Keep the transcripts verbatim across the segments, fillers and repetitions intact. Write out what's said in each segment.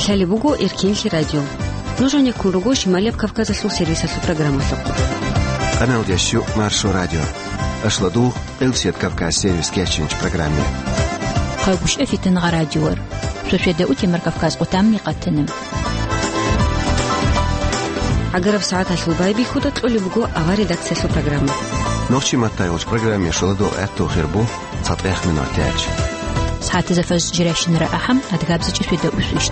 Лъалеб буго Эркенлъи радио. Нуж гьанеккун руго Шималияб Кавказалъул сервисалъул программалъухъ. Къаналдеш ю Маршо радио. Ашладу, Къилсият Кавказ сервис кечинч программе. Хъагушев Фитнагъа радиор. Суседа утемар Кавказ къутамни къатана. ГӀагараб сагӀаталъул байбихьуда кьолеб буго авар редакциялъул программа. Нохчи маттайгъуч программе шоладо гӀатту хирбу. ЦатӀех минутач. СагӀатазда фаз жирашинара ахӀам, адгабзачӀи светда усвищ.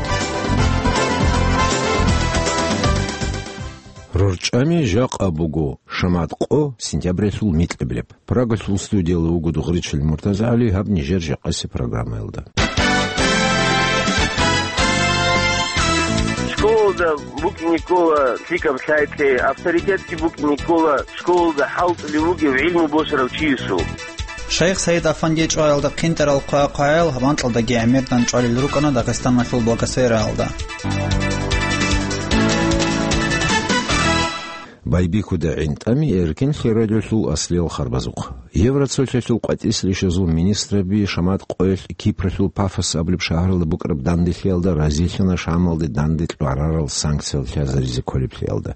РорчӀами жакъа буго, шамат къо, сентябрялъул микьабилеб. Прагалъул студияла вуго Дугъричил МуртазагӀали, гьаб нижер жакъаси программаялда. Школалда букӀине ккола лъикӀаб лъай-кьей, авторитетги букӀине ккола школалда хӀалтӀулев вугев гӀилму босарав чиясул. Шайх Саид Афанди чӀваялда хъинтӀарал хъвай-хъваял гьаб анкьалдаги гӀемердан чӀвалел рукӀана Дагъистаналъул благосфераялда. Байбихьуда гӀинтӀами Эркенлъи радиолъул аслиял харбазухъ. Евроцолъалъул къватӀислъищазул министраби шамат къоялъ Кипралъул Пафос абулеб шагьаралда букӀараб данделъиялда разилъана Шамалде данде кьварарал санкциял лъазаризе кколеблъиялда.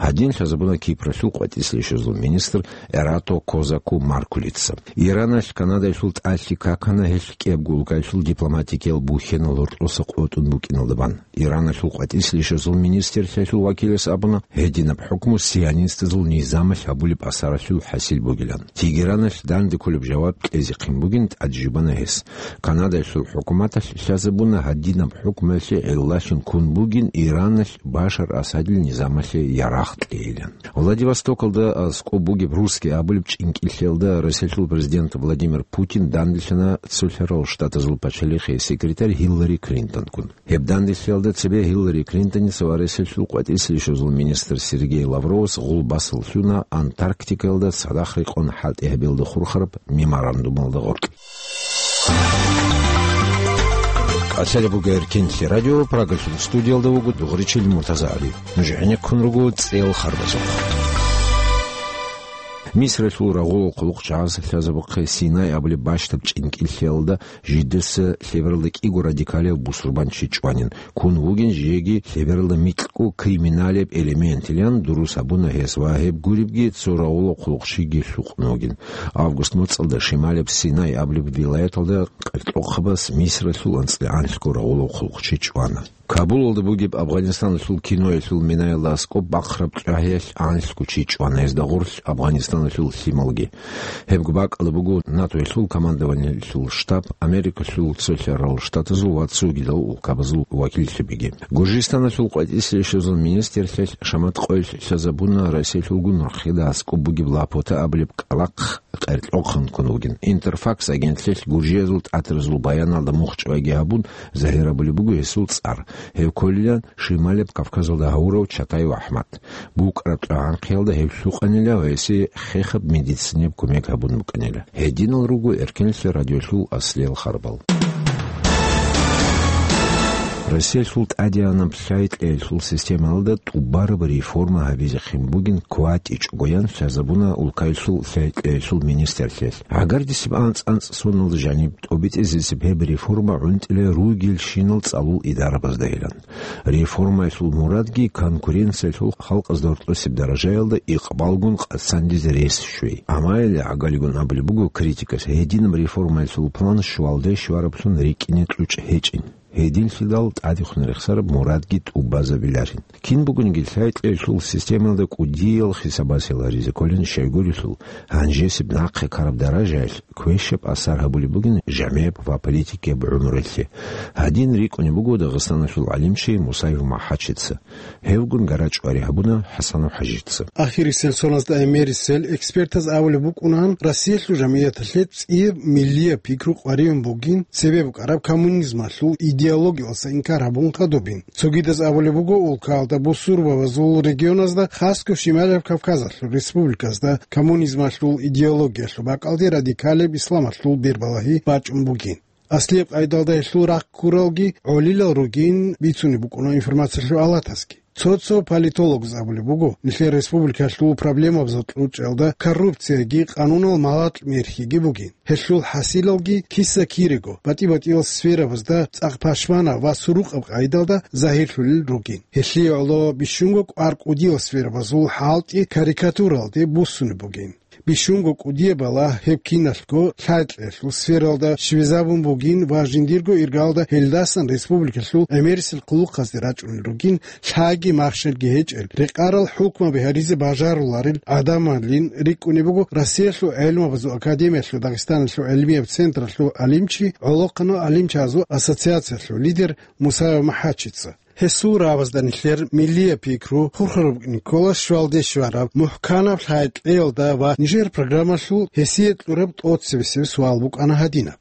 Гьадин лъазабуна Кипралъул къватӀислъищазул министр Эрато Козаку Маркулица. Ираналъ Канадалъул тӀалъи какана гьелъ кӀиябго улкаялъул дипломатикиял бухьенал гьоркьоса къотӀун букӀиналда бан. Ираналъул къватӀислъищазул министрлъиялъул вакилас абуна, гьединаб хӀукму сионистазул низамалъ гьабулеб асаралъул хӀасил бугилан. Тегераналъ данде кколеб жаваб кьезехъин бугин тӀаде жубана гьес. Канадалъул хӀукуматалъ лъазабуна гьадинаб хӀукмуялъе гӀиллалъун ккун бугин Ираналъ Башар Асадил низамалъе ярагъ кьейилан. Владивостокалда аскӀоб бугеб Русский абулеб чӀинкӀиллъиялда Россиялъул президент Владимир Путин данделъана Цолъарал Штатазул пачалихъе секретарь Гьиллари Клинтонкун. Гьеб данделъиялда цебе Гьиллари Клинтоница ва Россиялъул къватӀислъищазул министр Сергей Лавровас гъулбасал лъуна Антарктикаялда цадахъ рекъон хӀалтӀи гьабиялда хурхараб меморандумалда гъоркь. Къасалеб буго Эркенлъи радио, Прагалъул студиялда вуго Дугъричил МуртазагӀали. Нуж гӀенеккун руго цӀел харбазухъ. Мисралъул рагъулал хъулухъчагӀаз лъазабухъе Синай абулеб бащдаб чӀинкӀиллъиялда жидеца лъебералда кӀиго радикалияв бусурбанчи чӀванин. Ккун вугин жеги лъебералда микьго криминалияб элементилан дурус гьабуна гьес ва гьеб гуребги цо рагъулаб хъулухъчиги лъукъун вугин. Август моцӀалда шималияб Синай абулеб вилаяталда къеркьохъабаз Мисралъул анцӀила анлъго рагъулаб хъулухъчи чӀвана. Кабулалда бугеб Афгъанистаналъул киноялъул минаялда аскӀоб бахъараб кьвагьиялъ анлъго чи чӀвана, гьезда гъорлъ Афгъанистаналъул лъималги. Гьебго бакӀалда буго НАТОялъул командованиялъул штаб, Америкалъул Цолъарал Штатазул ва цогидал улкабазул вакиллъабиги. Гуржистаналъул къватӀислъищазул министрлъиялъ шамат къоялъ лъазабуна Россиялъулгун рахъида аскӀоб бугеб Лапота абулеб кӀкӀалахъ къеркьохъанккун вугин. Интерфакс агентлъиялъ гуржиязул тӀатаразул баяналда мухчӀвайги гьабун, загьир абулеб буго гьесул цӀар. Гьев кколилан Шималияб Кавказалда гьавурав Чатаев АхӀмад. БукӀараб тӀагӀанхъиялда гьев лъукъанила ва гьесие хехаб медицинаб кумек гьабун букӀанила. Гьединал руго Эркенлъи радиолъул аслиял харбал. Россиялъул тӀадегӀанаб лъай-кьеялъул системалда тӀубараб реформа гьабизехъин бугин кватӀичӀого ян лъазабуна улкаялъул лъай-кьеялъул министрлъиялъ. ГӀагардисеб анцӀ-анцӀ соналда жаниб тӀобитӀизесеб гьеб реформа гӀунтӀила ругелщинал цӀалул идарабаздайилан. Реформаялъул мурадги конкуренциялъул халкъазда гьоркьосеб даражаялда икъбалгун къацандизе рес щвей. Амма гьеле гӀагалигун абулеб буго критикас, гьединаб реформаялъул план щвалде щвараблъун рикӀкӀине кьучӀ гьечӀин. Гьединлъидал тӀадехун рехсараб мурадги тӀубазабиларин. Кин бугониги лъай-кьеялъул системалда кӀудиял хисабасел гьаризе кколин щайгурелъул, гьанжесеб нахъе ккараб даражаялъ квешаб асар гьабулеб бугин жамигӀаб ва политикияб гӀумрулъе. Гьадин рикӀкӀунеб буго Дагъистаналъул гӀалимчи Мусаев МахӀачица. Гьевгун гарачӀвари гьабуна ХӀасанов ХӀажица. Ахирисел соназда гӀемерисел экспертаз абулеб букӀунан, Россиялъул жамигӀаталъе цӀияб миллияб пикру къваригӀун бугин, цебе букӀараб коммунизмалъул идеологиялдаса инкар гьабун хадубин. Цогидаз абулеб буго, улкаялда бусурбабазул регионазда, хасго Шималияб Кавказалъул республиказда, коммунизмалъул идеологиялъул бакӀалде радикалияб исламалъул бербалагьи бачӀун бугин. Аслияб къайдалда гьелъул рахъ ккуралги гӀолилал ругин бицунеб букӀуна информациялъул алатасги. Цо-цо политологз абулеб буго, нилъер республикалъул проблемабазул кьучӀалда коррупцияги къанунал малакь-мерхиги бугин. Гьелъул хӀасилалги киса-кирего, батӀи-батӀиял сферабазда цӀакъ пашманаб ва сурукъаб къайдалда загьирлъулел ругин. Гьелъие гӀоло бищунго кӀвар кӀудиял сферабазул хӀалтӀи карикатуралде буссунеб бугин. Бищунго кӀудияб бала гьеб киналъго лъай-кьеялъул сфералда щвезабун бугин ва жиндирго иргалда гьелдасан республикалъул гӀемерисел хъулухъазде рачӀунел ругин, лъаги махщелги гьечӀел, рекъарал хӀукмаби гьаризе бажаруларел гӀадамалин рикӀкӀунеб буго Россиялъул гӀелмабазул академиялъул Дагъистаналъул гӀелмияб централъул гӀалимчи, гӀолохъанал гӀалимчазул ассоциациялъул лидер Мусаев МахӀачица. Гьесул рагӀабазда нилъер миллияб пикру хурхараб букӀине ккола щвалде щвараб мухӀканаб лъай-кьеялда ва нижер программалъул гьесие кьураб тӀоцебесеб суал букӀана гьадинаб: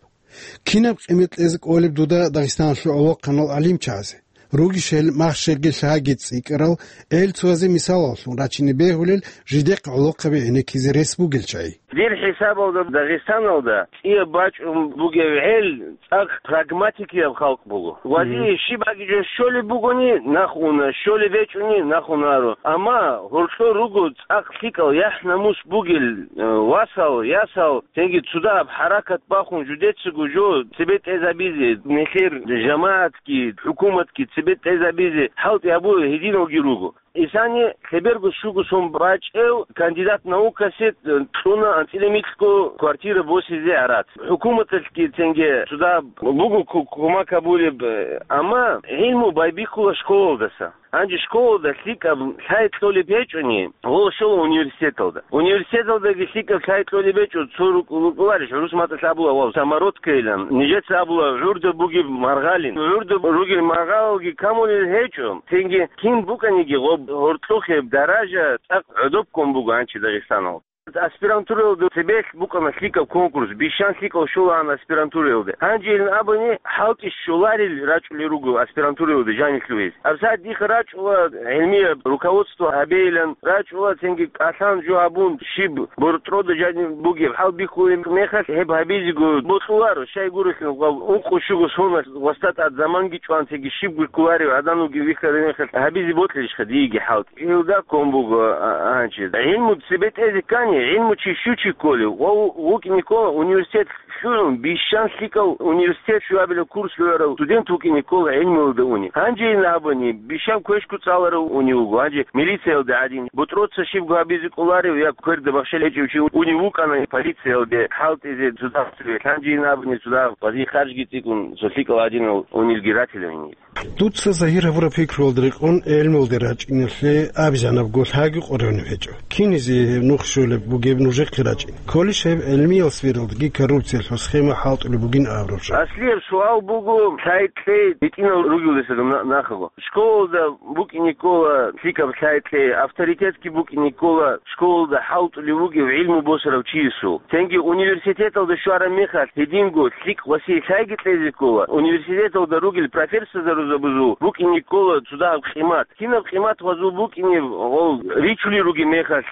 «Кинаб къимат кьезе кӀолеб дуда Дагъистаналъул гӀолохъанал гӀалимчазе? Ругищ гьел махщелги лъаги цӀикӀкӀарал, гӀел цоязе мисалаллъун рачине бегьулел жидехъ гӀолохъаби гӀенеккизе рес бугел чагӀи?» Дир хӀисабалда Дагъистаналда цӀияб бачӀун бугев гӀел цӀакъ прагматикияб халкъ буго. Вази щиб гьагиже щолеб бугони, нахуна, щолеб гьечӀони, нахунаро. Амма гьоркьор руго цӀакъ лъикӀал яхӀ-намус бугел, э, васал, ясал, цинги цодагьаб хӀаракат бахун жидецаго жо цебе тӀезабизе, нилъер жамагӀатги, хӀукуматги цебе тӀезабизе хӀалтӀи гьабуе гьединалги руго. Исани лъеберго щуго сон бачӀев кандидат наукасе, э, кьуна анцӀила микьго квартира босизе гӀарац. ХӀукуматалъги цинги цодагьаб буго ку-, кумак гьабулеб, э, амма гӀилму байбихьула школалдаса. Гьанже школалда лъикӀаб лъай кьолеб гьечӀони, гьола щола университеталда. Университеталдаги лъикӀаб лъай кьолеб гьечӀо, цо рукъ-, рукъуларищ, гӀурус мацӀалъ абула, вав, самородкайилан, нижеца абула, гӀурда бугеб маргъалин. ГӀурда ругел маргъалги камулел гьечӀо, цинги кин букӀаниги гъоб гьоркьохъеб даража цӀакъ гӀодоб ккун буго гьанчи Дагъистаналда. Аспирантураялда цебелъ букӀана лъикӀаб конкурс, бищан лъикӀал щолаан аспирантураялда. Гьанжейилан абуни, хӀалтӀи щоларел рачӀулел руго аспирантураялда жанилъувез. Абсагьат диха рачӀула гӀилмияб руководство гьабейилан, рачӀула цинги кӀалъан жо гьабун, щиб бортӀрода жаниб бугеб хӀал бихьулеб мехалъ гьеб гьабизего бокьуларо, щай гурелъул гъав ункъо-щуго соналъ васда тӀад заманги чӀван цинги щибго кколарев гӀадан вугев вихьараб мехалъ гьабизе бокьилищха диеги хӀалтӀи. Илда ккун буго, а, гьанчи. ГӀилму цебе тӀезе ккани, гӀилму чи щучи кколев, ва ву-, вукӀине ккола университет лъугӀун, бищан лъикӀав университет щуабилеб курс лъугӀарав студент вукӀине ккола гӀилмуялда уни. Гьанжейилан абуни, бищан квешго цӀаларав уни вуго, гьанже милициялда гӀадин, бутӀроца щибго гьабизе кӀоларев я кверда бахщал гьечӀев чи уни вукӀана полициялде хӀалтӀизе цодагьаб цеве, гьанжейилан абуни цодагьаб вази харжги цӀикӀкӀун цо лъикӀал гӀадинал унилги ратила гьениб. Дуца загьир гьабураб пикруялда рекъон гӀелмуялде рачӀиналъе абизанабго лъаги къоргьаниб гьечӀо. Кинизе гьеб нух щолеб бугеб нужехъе рачӀин? Кколищ гьеб гӀелмиял сфералдаги коррупциялъул схема хӀалтӀулеб бугин абураб жо? Аслияб суал буго, лъай-кьей гьитӀинал ругелдасаго на-, нахаго. Школалда букӀине ккола лъикӀаб лъай-кьей, авторитетги букӀине ккола школалда хӀалтӀулев вугев гӀилму босарав чиясул. Цинги университеталда щвараб мехалъ гьединго лъикӀ ва сихӀ лъайги кьезе ккола. Университеталда ругел профессорзабазул букӀине ккола цодагьаб къимат. Кинаб къимат гьазул букӀине гъол ричулел ругеб мехалъ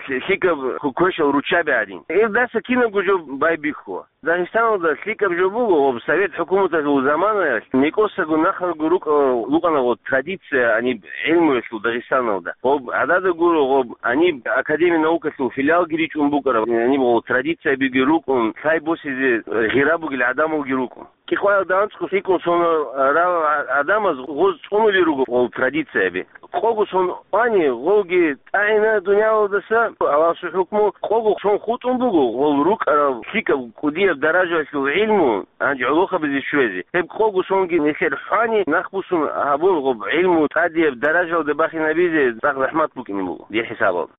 лъи-, лъикӀаб квешал руччаби гӀадин. Илдаса кинабго жо байбихьула. Дагъистаналда лъикӀаб жо буго, гъоб совет хӀукуматалъул заманаялъ, некӀосаго нахалго рукӀа-, рукӀана гъоб традиция гьаниб гӀилмуялъул Дагъистаналда. Гъоб гӀадада гуро, гъоб гьаниб Академия наукалъул филиалги ричӀун букӀараб, гьаниб гъоб традициябиги рукӀун, лъай босизе гъира бугел гӀадамалги рукӀун. Кьикъваялда анцӀго лъикӀун сон рал гӀадамаз гъоз цӀунулел руго гъол традицияби. Къого сон вани, гъолги тӀагӀина дуниялалдаса Аллагьасул хӀукму, къого сон хутӀун буго гъол рукӀарал лъикӀаб кӀудияб даражаялъул гӀилму гьанже гӀолохъабизе щвезе. Гьеб къого сонги нилъер хвани нахбусун гьабун гъоб гӀилму тӀадияб даражаялде бахинабизе цӀакъ захӀмат букӀине буго, дир хӀисабалда.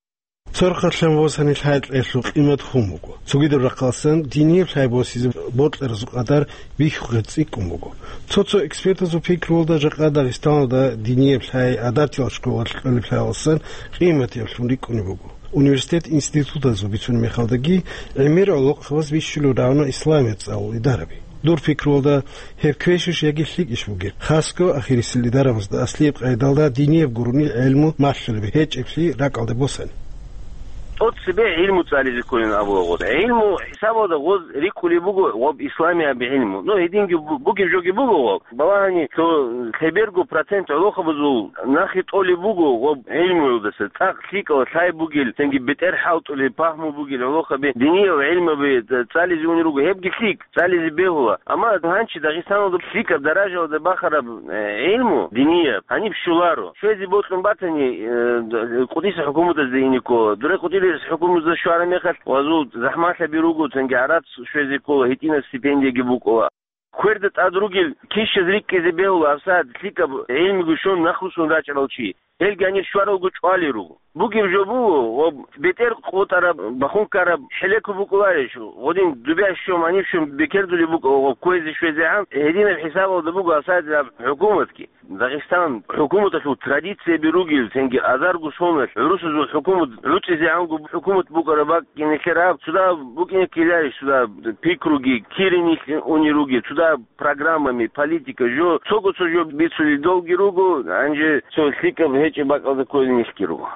Цо рахъалъан босани лъай-кьеялъул къимат хун буго. Цогидаб рахъалъан динияб лъай босизе бокьаразул къадар бихьухъе цӀикӀкӀун буго. Цо-цо экспертазул пикруялда жакъа Дагъистаналда динияб лъай гӀадатиял школалъ кьолеб лъаялдасан къиматиблъун рикӀкӀунеб буго. Университет-институтазул бицунеб мехалдаги гӀемер гӀолохъабаз бищулеб рагӀуна исламият цӀалул идараби. Дур пикруялда, гьеб квешищ яги лъикӀищ бугеб, хасго ахирисел идарабазда аслияб къайдалда динияб гурони гӀелму малъулеб гьечӀеблъи ракӀалде босани. Гъо цебе гӀилму цӀализе кколин абула гъоз. ГӀилму хӀисабалда гъоз рикӀкӀулеб буго гъоб исламияб гӀилму. Ну, гьединги бу-, бугеб жоги буго гъоб. Балагьани, цо лъеберго процент гӀолохъабазул нахъе тӀолеб буго гъоб гӀилмуялдаса. ЦӀакъ лъикӀал лъай бугел, цинги бетӀер хӀалтӀулеб пагьму бугел гӀолохъаби диниял гӀилмаби цӀализе унел руго. Гьебги лъикӀ. ЦӀализе бегьула. Амма гьанчи Дагъистаналда лъикӀаб даражаялда бахараб, э, гӀилму динияб гьаниб щоларо. Щвезе бокьун батани, э, д-, Къудсияб хӀукуматазда ине ккола. Дуре Къудсияб хӀукуматазда щвараб мехалъ, гъазул захӀмалъаби руго, цинги гӀарац щвезе ккола, гьитӀинаб стипендияги букӀула. Кверда тӀад ругел кищаз рикӀкӀизе бегьула, гьабсагӀат лъикӀаб гӀилмуги щун нахъруссун рачӀарал чи. Гьелги гьанир щваралго чӀвалел руго. Бугеб жо буго, ва бетӀер къотӀараб, бахун ккараб хӀелеко букӀуларищ, гъодин дубящ щом, гьанив щом бекердулеб букӀа, ва кквезе-щвезегӀан гьединаб хӀисабалда буго асадилаб хӀукуматги. Дагъистан хӀукуматалъул традицияби ругел, цинги азарго соналъ гӀурусазул хӀукумат гӀуцӀизегӀанго хӀукумат букӀараб бакӀ кӀинеклъи рагьаб, цо дагьаб букӀинеклъиларищ, цо дагьаб пикруги, кириниклъи унел ругел, цо дагьаб программами, политика, жо, цого цо жо бицулел долги руго, гьанже цо лъикӀаб гьечӀеб бакӀалда кколел нилъги руго.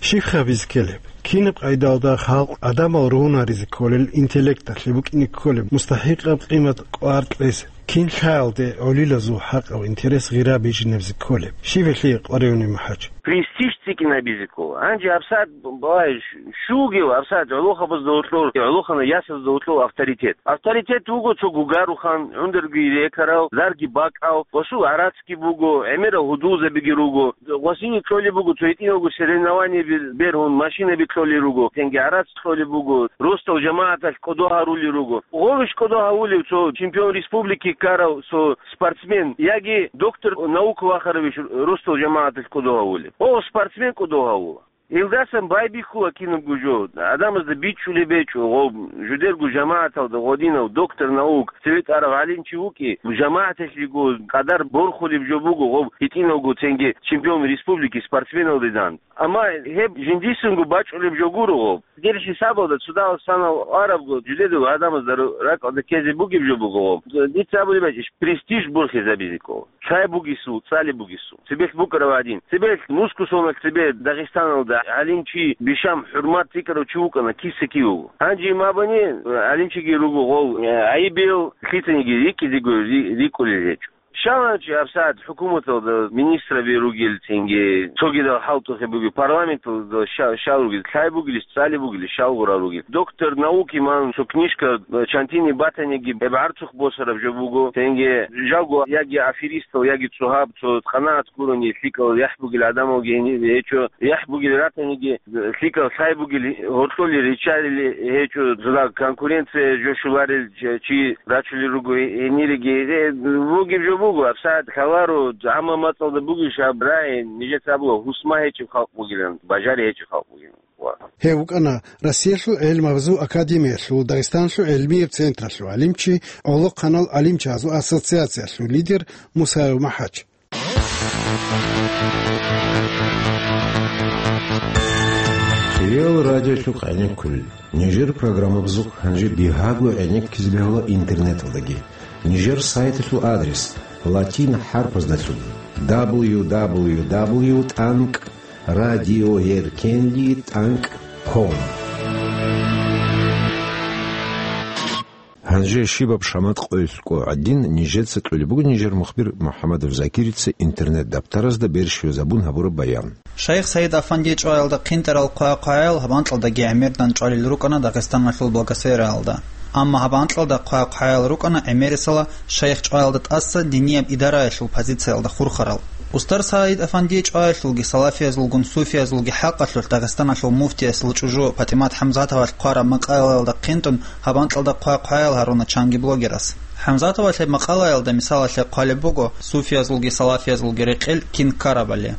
Щиб гьабизе ккелеб? Кинаб къайдалда халкъ адамал ругьунаризе кколел, интеллекталъе букӀине кколеб мустахӀикъаб къимат кӀвар кьезе? Кин лъаялде гӀолилазул хӀакъав интерес гъира бижинабизе кколеб? Щиб гьелъие къваригӀунеб, МухӀаж? Престиж цӀикӀкӀинабизе ккола. Гьанже гьабсагӀат, балагье, щугев гьабсагӀат гӀолохъабазда гьоркьор, гӀолохъанай ясазда гьоркьор авторитет. Авторитет вуго цо гугарухан, гӀундарги рекарав, зарги бакӀав, гъосул гӀарацги буго, гӀемерал гьудулзабиги руго. Гъосие кьолеб буго, цо гьитӀинавго соревнованиеби бергьун, машинаби кьолел руго, цинги гӀарац кьолеб буго, росдал жамагӀаталъ кӀодо гьарулел руго. Гъовищ кӀодо гьавулев цо чемпион республики ккарав цо спортсмен яги доктор наук вахаравищ росдал жамагӀаталъ кӀодо гьавулев? О, спортсмен кӀодо гьавула. Илдасан байбихьула кинабго жо, гӀадамазда бичӀчӀулеб гьечӀо, гъоб жудерго жамагӀаталда гъодинав доктор наук, цеве тӀарав гӀалимчи вукӀи, жамагӀаталъего къадар борхулеб жо буго, гъоб гьитӀинавго цинги чемпион республики спортсменалдедан. Амма гьеб жиндисанго бачӀулеб жо гуро гъоб. Дир хӀисабалда цо дагьал санал арабго, жудедал гӀадамазда ру-, ракӀалда ккезе бугеб жо буго гъоб. Дица абулеб бачӀищ, престиж борхизабизе ккола. Лъай бугесул, цӀали бугесул. Цебелъ букӀарав гьадин. Цебелъ нусго соналъ цебе Дагъистаналда гӀалимчи бищун хӀурмат рикӀкӀарав чи вукӀана, киса-кив вуго. Гьанже мабани гӀалимчиги руго гъов, э, гӀайибил лъицаниги рикӀкӀизего ри-, рикӀкӀулел гьечӀо. Щаланчи гьабсагӀат хӀукуматалда министраби ругел, цинги цогидал хӀалтӀухъе бугел, парламенталда ща-, щал ругел, лъай бугелищ, цӀали бугелищ, щал гъурал ругел. Доктор наук иман цо книжка, э, чантине батаниги, гьеб гӀарцухъ босараб жо буго, цинги жалго яги аферистал, яги цо гьаб, цо къанагӀат гурони лъикӀал яхӀ бугел гӀадамалги гьениб гьечӀо, яхӀ бугел ратаниги, лъикӀал лъай бугел гьоркьолел ричарил гьечӀо, цо дагь конкуренция жо щоларел чи рачулел руго гьениреги. Э, бугеб жо буго, гьабсагӀат лъаларо, гӀамма мацӀалда бугищ гьаб рагӀи, нижеца абула, гьусма гьечӀеб халкъ бугилан, бажари гьечӀеб халкъ бугилан. Гьев вукӀана Россиялъул гӀелмабазул академиялъул Дагъистаналъул гӀелмияб централъул гӀалимчи, гӀолохъанал гӀалимчазул ассоциациялъул лидер Мусаев МухӀаж. Риал радиолъухъ гӀенеккулел. Нижер программабазухъ гьанже бигьаго гӀенеккизе бегьула интернеталдаги. Нижер сайталъул адрес латин хӀарпаздалъун: дабл ю дабл ю дабл ю тӀанкӀ радиоеркенли тӀанкӀ ком. Гьанже щибаб шамат къойилъ къо гӀадин, нижеца кьолеб буго нижер мухбир МухӀамадов Закирица интернет-даптаразда берщиязабун гьабураб баян. Шайх Саид Афанди чӀваялда хъинтӀарал хъвай-хъваял гьаб анкьалдаги гӀемердан чӀвалел рукӀана Дагъистаналъул благосфераялда. Амма гьаб анкьалда хъвай-хъваял рукӀана гӀемерисела шайх чӀваялда тӀаса динияб идараялъул позициялда хурхарал. Устар Саид Афанди чӀваялъулги салафиязулгун суфиязулги хӀакъалъулъ Дагъистаналъул муфтиясул чӀужу ПатӀимат ХӀамзатовалъ хъвараб макъалаялда хъинтӀун гьаб анкьалда хъвай-хъваял гьаруна чанги блогерас. ХӀамзатовалъ гьеб макъалаялда мисалалъе хъвалеб буго суфиязулги салафиязулги рекъел кин ккарабали.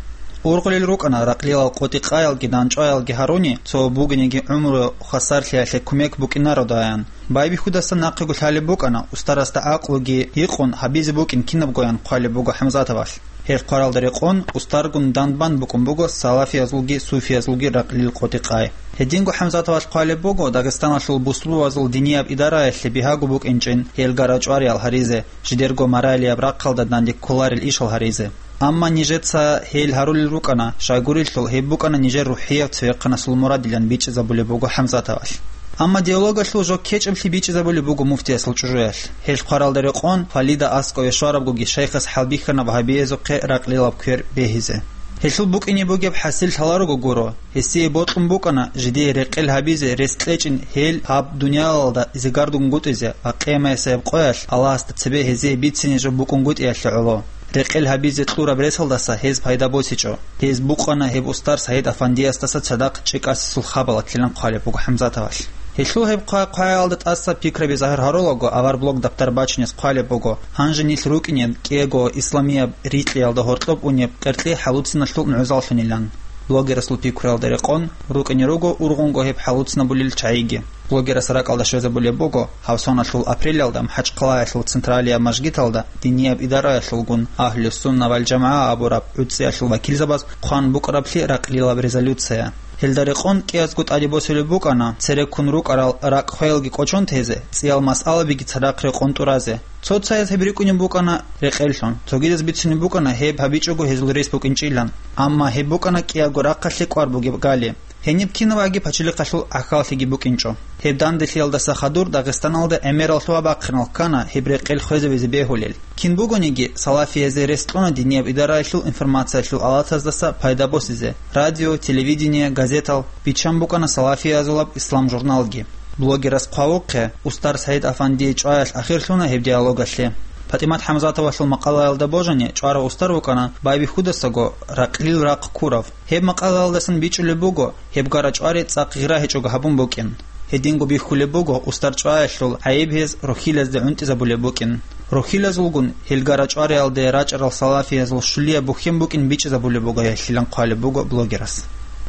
Ургъулел рукӀана ракълилал къотӀи-къаялги данчӀваялги гьаруни, цо бугониги гӀумру хвасарлъиялъе кумек букӀинародаян. Байбихьудасан нахъего лъалеб букӀана, устарасда гӀакълуги гьикъун гьабизе букӀин кинабгоян хъвалеб буго ХӀамзатовалъ. Гьеб хъваралда рекъон, устаргун данбан букӀун буго салафиязулги суфиязулги ракълил къотӀи-къай. Гьединго ХӀамзатовалъ хъвалеб буго, Дагъистаналъул бусурбабазул динияб идараялъе бигьаго букӀинчӀин гьел гара-чӀвариял гьаризе, жидерго моралияб рахъалда данде кколарел ишал гьаризе. Амма нижеца гьел гьарулел рукӀана, щайгурелъул гьеб букӀана нижер рухӀияв цевехъанасул мурадилан бичӀчӀизабулеб буго ХӀамзатовалъ. Амма диалогалъул жо ккечӀеблъи бичӀчӀизабулеб буго муфтиясул чӀужуялъ. Гьел хъваралда рекъон, Фалида аскӀове щварабгоги шайхас хӀалбихьана вагьабиязухъе ракълилаб квер бегьизе. Гьелъул букӀине бугеб хӀасил лъаларого гуро, гьесие бокьун букӀана жидее рекъел гьабизе рес кьечӀин гьел гьаб дуниялалда зигардунгутӀизе ва къиямасеб къоялъ Аллагьасда цебе гьезие бицине жо букӀунгутӀиялъе гӀоло. Рекъел гьабизе кьураб ресалдаса гьез пайда босичӀо. Гьез букъана гьеб устар Саид Афандиясдаса цадахъ чӀикӀасесул хабалатлъилан хъвалеб буго ХӀамзатовалъ. Гьелъул гьеб хъва-, хъваялда тӀаса пикраби загьир гьарулаго, авар блог даптар бачунес хъвалеб буго, гьанже нилъ рукӀине кӀиего исламияб рикьиялда гьоркьоб унеб къеркьи хӀалуциналъул нугӀзаллъунилан. Блогерасул пикруялда рекъон, рукӀине руго ургъунго гьеб хӀалуцинабулел чагӀиги. Блогерас ракӀалда щвезабулеб буго, гьав соналъул апрелалда МахӀачхъалаялъул централияб мажгиталда динияб идараялъулгун Агьлу-Сунна вал ЖамагӀа абураб гӀуцӀиялъул вакилзабаз хъван букӀараблъи ракълилаб резолюция. Гьелда рекъон кӀиязго тӀаде босулеб букӀана, цереккун рукӀарал ракӀ-хвелги кӀочон тезе, цӀиял масъалабиги цадахъ рекъон тӀуразе. Цо-цояз гьеб рикӀкӀунеб букӀана рекъеллъун, цогидаз бицунеб букӀана гьеб гьабичӀого гьезул рес букӀинчӀилан. Амма гьеб букӀана кӀиябго рахъалъе кӀвар бугеб гали. Гьениб кинаваги пачалихъалъул гӀахьаллъиги букӀинчӀо. Гьеб данделъиялдаса хадур Дагъистаналда гӀемерал лъугьа-бахъинал ккана гьеб рекъел хвезавизе бегьулел. Кин бугониги, салафиязе рес кьуна динияб идараялъул информациялъул алатаздаса пайда босизе, радио, телевидение, газетал, биччан букӀана салафиязулаб «Ислам» журналги. Блогерас хъвавухъе, устар Саид Афандие чӀваялъ ахирлъуна гьеб диалогалъе. ПатӀимат ХӀамзатовалъул макъалаялда божани, чӀварав устар вукӀана байбихьудасаго ракълил рахъ ккурав. Гьеб макъалаялдасан бичӀчӀулеб буго, гьеб гара-чӀвари цӀакъ гъира гьечӀого гьабун букӀин. Гьединго бихьулеб буго, устар чӀваялъул гӀайиб гьез рохьилазде гӀунтӀизабулеб букӀин. Рохьилазулгун гьел гара-чӀвариялде рачӀарал салафиязул щулияб бухьен букӀин бичӀчӀизабулеб буго гьелъилан хъвалеб буго блогерас.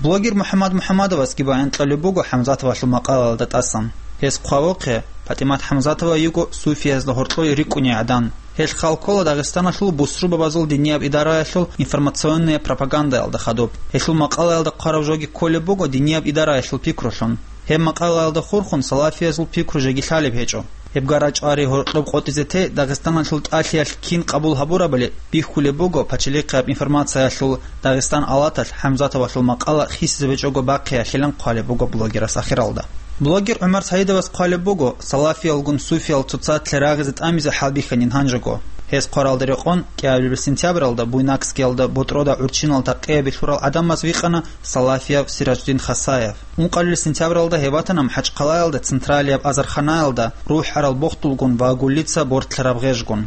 Блогер МухӀаммад МухӀаммадовасги баян кьолеб буго ХӀамзатовалъул макъалаялда тӀасан. Гьес хъвавухъе, ПатӀимат ХӀамзатова йиго суфиязда гьоркьой рикӀкӀуней гӀадан. Гьел хал ккола Дагъистаналъул бусурбабазул динияб идараялъул информационная пропагандаялда хадуб. Гьелъул макъалаялда хъвараб жоги кколеб буго динияб идараялъул пикрулъун. Гьеб макъалаялда хурхун салафиязул пикру жеги лъалеб гьечӀо. Гьеб гара-чӀвари гьоркьоб къотӀизе те Дагъистаналъул тӀалъиялъ кин къабул гьабурабали бихьулеб буго пачалихъияб информациялъул Дагъистан алаталъ ХӀамзатовалъул макъала хисизабичӀого бахъиялъилан хъвалеб буго блогерас ахиралда. Блогер ГӀумар Саидовас хъвалеб буго, салафиялгун суфиял цоцалъе рагъизе тӀамизе хӀалбихьанин гьанжего. Гьес хъваралда рекъон, кӀиабилеб сентябралда Буйнакскиялда ботӀрода гӀурччинал такъиябе лъурал гӀадамаз вихъана салафияб Сиражуддин Хасаев. Ункъабилеб сентябралда гьев ватана МахӀачхъалаялда централияб азарханаялда рухӀарал бохдулгун ва гуллица бортлъараб гъежгун.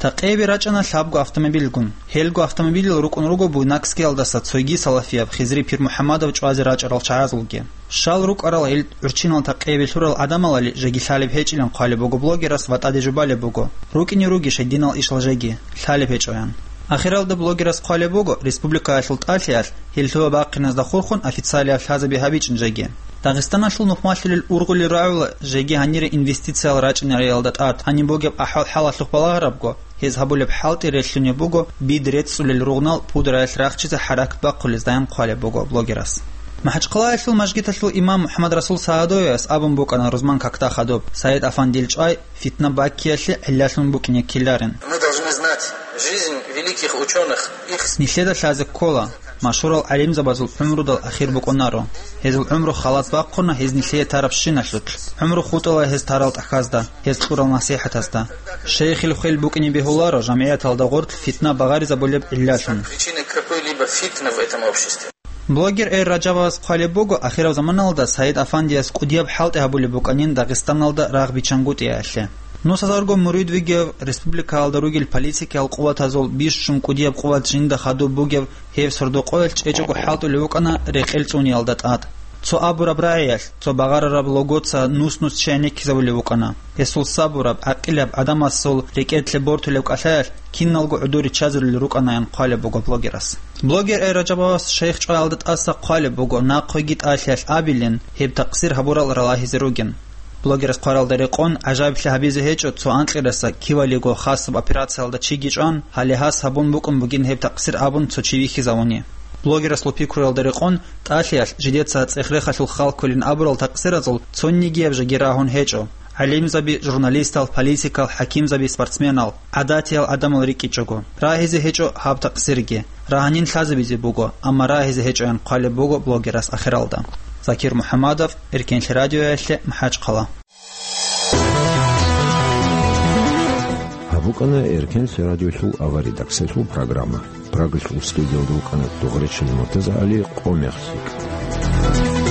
Такъиябе рачӀана лъабго автомобильгун. Гьелго автомобилал рукӀун руго Буйнакскиялдаса цойги салафияб Хизри Пирмухьаммадов чӀвазе рачӀарал чагӀазулги. Щал рукӀарал гьел гӀурччинал такъиябе лъурал гӀадамалали жеги лъалеб гьечӀилан хъвалеб буго блогерас ва тӀаде жубалеб буго, рукӀине ругищ гьединал ишал жеги, лъалеб гьечӀоян. Ахиралда блогерас хъвалеб буго, республикаялъул тӀалъиялъ гьел лъугьа-бахъиназда хурхун официалияб лъазаби гьабичӀин жеги. Дагъистаналъул нухмалъулел ургъулел рагӀула жеги гьанире инвестициял рачӀинариялда тӀад. Гьаниб бугеб ахӀвал-хӀалалъухъ балагьарабго, гьез гьабулеб хӀалтӀи релълъунеб буго, бид рецӀцӀулел ругънал пудраялъ рахчизе хӀаракат бахъулездайин хъвалеб буго блогерас. МахӀачхъалаялъул мажгиталъул имам МухӀаммадрасул Сагьадовияс абун букӀана рузман какда хадуб, Саид Афандил чӀвай фитна баккиялъе гӀиллалъун букӀине ккеларин. Мы должны знать жизнь великих учёных, их... Нилъеда лъазе ккола, машгьурал гӀалимзабазул гӀумрудал ахир букӀунаро. Гьезул гӀумру халат бахъуна гьез нилъее тарабщиналъулъ. ГӀумру хутӀала гьез тарал тӀахьазда, гьез кьурал насихӀатазда. Шейхил хвел букӀине бегьуларо жамгӀияталда гъорлъ фитна багъаризабулеб гӀиллалъун. Причины какой-либо фитны в этом обществе. Блогер Эр Ражабовас хъвалеб буго, ахираб заманалда Саид Афандияс кӀудияб хӀалтӀи гьабулеб букӀанин Дагъистаналда рагъ биччангутӀиялъе. Нусазарго мурид вугев, республикаялда ругел политикиял къуватазул бищун кӀудияб къуват жинда хадуб бугев гьев сордо-къоялъ чӀечӀого хӀалтӀулев вукӀана рекъел цӀуниялда тӀад. Цо абураб рагӀиялъ, цо багъарараб логоца нус-нус чи гӀенеккизабулев вукӀана. Гьесул сабураб, гӀакъилаб гӀадамасул рекӀелъе бортулеб кӀалъаялъ киналго гӀодор риччазарулел рукӀанаян хъвалеб буго блогерас. Блогер Эр Ражабовас шайх чӀваялда тӀаса хъвалеб буго, нахъеги тӀалъиялъ абилин, гьеб такъсир гьабурал ралагьизе ругин. Блогерас хъваралда рекъон, гӀажаиблъи гьабизе гьечӀо, цо анкьидаса кивалиго хасаб операциялда чиги чӀван, гьале гьас гьабун букӀун бугин гьеб такъсир абун цо чи вихьизавуни. Блогерасул пикруялда рекъон, тӀалъиялъ жидеца цӀех-рехалъул хал кколин абурал такъсиразул цонигияб жеги рагьун гьечӀо. ГӀалимзаби, журналистал, политикал, хӀакимзаби, спортсменал, гӀадатиял гӀадамал рикӀкӀичӀого, рагьизе гьечӀо гьаб такъсирги. Рагьанин лъазабизе буго, амма рагьизе гьечӀоян хъвалеб буго блогерас ахиралда. Закир МухӀаммадов, Эркенлъи радиоялъе, МахӀачхъала. Гьаб букӀана Эркенлъи радиолъул аваридаксалъул программа. Прагалъул студиялда вукӀана ТӀугъречил МуртазагӀали, Къо мехлъи.